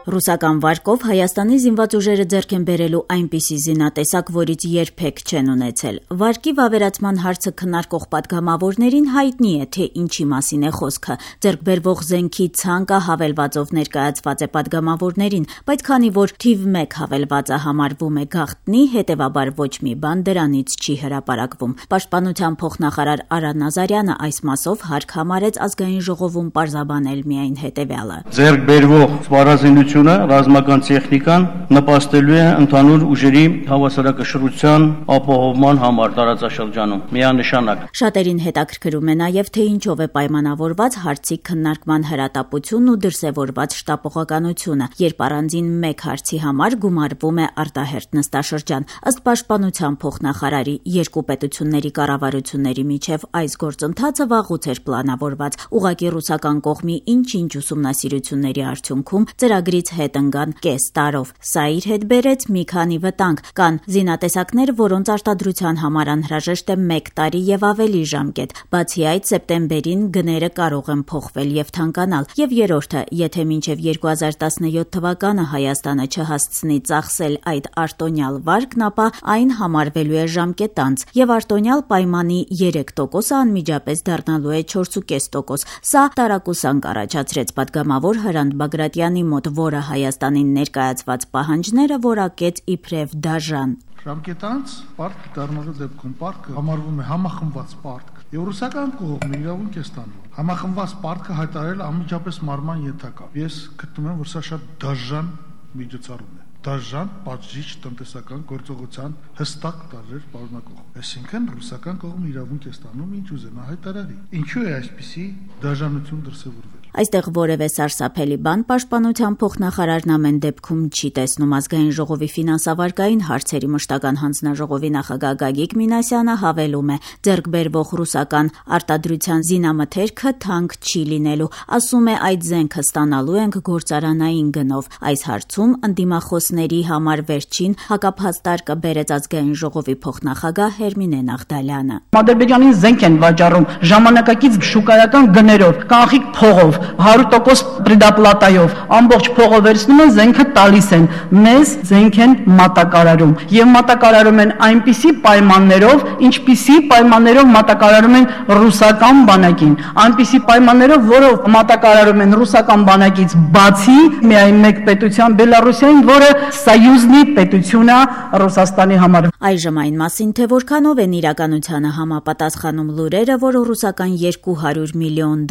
Ռուսական վարկով Հայաստանի զինված ուժերը ձեռք են բերելու այնպիսի զինատեսակ, որից երբեք չեն ունեցել։ Վարկի վավերացման հարցը քննարկող պատգամավորներին հայտնի է, թե ինչի մասին է խոսքը։ Ձեռք բերվող զենքի ցանկը հավելվածով ներկայացված է պատգամավորներին, բայց քանի որ թիվ 1 հավելվածը համարվում է գաղտնի, հետևաբար ոչ մի բան դրանից չի հրապարակվում։ Պաշտպանության փոխնախարար Արա Նազարյանը այս մասով հարկ համարեց ազգային ժողովում պարզաբանել միայն հետևյալը. Ձեռք բերվող սպառազինությունը, ռազմական տեխնիկան նպաստելու է ընդհանուր ուժերի հավասարակշռության ապահովման համար տարածաշրջանում միանշանակ։ Շատերին հետաքրքրում է նաև թե ինչով է պայմանավորված հարցի քննարկման հրատապությունն ու դրսևորված շտապողականությունը, երբ առանձին մեկ հարցի համար գումարվում է արտահերթ նստաշրջան։ Ըստ պաշտպանության փոխնախարարի, երկու պետությունների կառավարությունների միջև այս գործընթացը վաղուց էր պլանավորված։ Ուղղակի ռուսական կողմի ինչ-ինչ ուսումնասիրությունների արդյունքում ծրագրից հետ ընկան կես տարով։ Սա իր հետ բերեց մի քանի վտանգ։ Կան զինատեսակներ, որոնց արտադրության համար անհրաժեշտ է 1 տարի եւ ավելի ժամկետ։ Բացի այդ, սեպտեմբերին գները կարող են փոխվել եւ թանկանալ։ Եվ երրորդը, եթե մինչեւ 2017 թվականը Հայաստանը չհասցնի ծախսել այդ արտոնյալ վարկն, ապա այն համարվելու է ժամկետանց եւ արտոնյալ պայմանի 3%-ը անմիջապես դառնալու է 4.5%։ Սա տարակուսանք առաջացրեց պատգամավոր Հրանտ Բագրատյանի մոտ, որը Հայաստանին ներկայացված պահանջները որակեց իբրև դաժան։ Ժամկետանց պարտք դառնալու դեպքում պարտքը համարվում է համախմբված պարտք։ Եվ ռուսական կողմը իրավունք է ստանում համախմբված պարտքը հայտարարել անմիջապես մարման ենթակա։ Ես գտնում եմ, որ սա շատ դաժան միջոցառում է։ Դաժան պատժիչ տնտեսական գործողության հստակ տարրեր պարունակող։ Այսինքն ռուսական կողմը իրավունք է ստանում ինչ ուզենա հայտարարի։ Ինչու է այսպիսի դաժանություն դրսևորվել։ Այստեղ որևէ սարսափելի բան պաշտպանության փոխնախարարն ամեն դեպքում չի տեսնում։ Ազգային ժողովի ֆինանսավարկային հարցերի մշտական հանձնաժողովի նախագահ Գագիկ Մինասյանը հավելում է. ձեռք բերվող ռուսական արտադրության զինամթերքը թանկ չի լինելու։ Ասում է, այդ զենքը ստանալու ենք գործարանային գնով։ Այս հարցում ընդդիմախոսների համար վերջին հակափաստարկը բերեց ազգային ժողովի փոխնախագահ Հերմինե Նաղդալյանը։ Ադրբեջանին զենք են վաճառում ժամանակակից շուկայական գներով, կանխիկ փողով, 100% պրեդապլատայով, ամբողջ փողը վերցնում են, զենքը տալիս են, մեզ զենք են մատակարարում եւ մատակարարում են այնպիսի պայմաններով, ինչպիսի պայմաններով մատակարարում են ռուսական բանակին, այնպիսի պայմաններով, որով մատակարարում են ռուսական բանակից բացի միայն մեկ պետության Բելարուսիային, որը սայյուզնի պետություն է Ռուսաստանի համար։ Այժմ այն մասին, թե որքանով են իրականությանը համապատասխանում լուրերը, որ ռուսական $200 միլիոն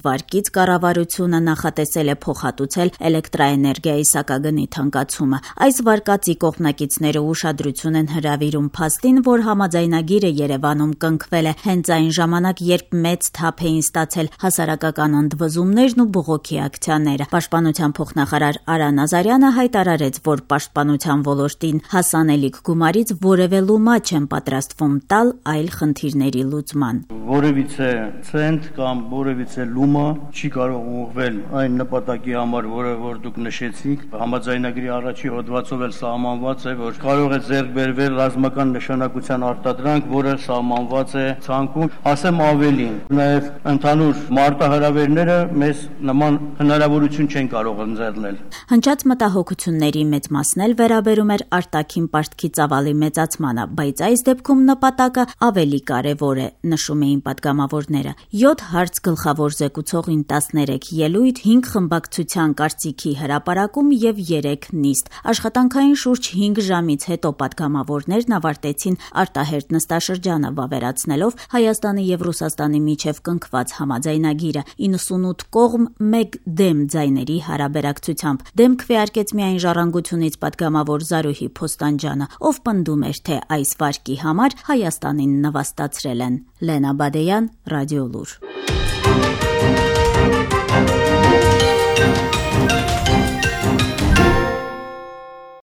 վարկից կառավարությունը նախատեսել է փոխհատուցել էլեկտրաէներգիայի սակագնի թանկացումը։ Այս վարկածի կողմնակիցները ուշադրություն են հրավիրում փաստին, որ համաձայնագիրը Երևանում կնքվել է հենց այն ժամանակ, երբ մեծ թափ էին ստացել հասարակական ընդվզումներն ու բողոքի ակցիաները։ Պաշտպանության փոխնախարար Արա Նազարյանը հայտարարեց, որ պաշտպանության ոլորտին հասանելիք գումարից որևէ լումա չեն պատրաստվում տալ այլ խնդիրների լուծման։ Որևիցե ցենտ կամ որևիցե լումա չի կարող ուղղվել այն նպատակի համար, որ դուք նշեցիք, համաձայնագրի առաջի հոդվածով էլ սահմանված է, որ կարող է ձեռք բերվել ռազմական նշանակության արտադրանք, որը սահմանված է ցանկում, ասեմ ավելին, նաև ընդհանուր մարտահրավերները մեզ նման հնարավորություն չեն կարող ընձեռնել։ Հնչած մտահոգությունների մեծ մասն էլ վերաբերում էր արտաքին պարտքի ծավալի մեծացմանը, բայց այս դեպքում նպատակը ավելի կարևոր է, նշում էին պատգամավորները։ 7 հարց գլխավոր զեկուցողին 13 ելույթ, 5 խմբակցության կարծիքի հրապարակում եւ 3 նիստ։ Աշխատանքային շուրջ 5 ժամից հետո պատգամավորներն ավարտեցին արտահերթ նստաշրջանը, վավերացնելով Հայաստանի եւ Ռուսաստանի միջև կնքված համաձայնագիրը 98 կողմ 1 դեմ ձայների հարաբերակցությամբ։ Դեմ քվեարկեց միայն Ժառանգությունից պատգամավոր Զարուհի Փոստանջյանը, ով պնդում էր, թե այս վարկի համար Հայաստանին նվաստացրել են։ Լենա Բադեյան, Ռադիոլուր։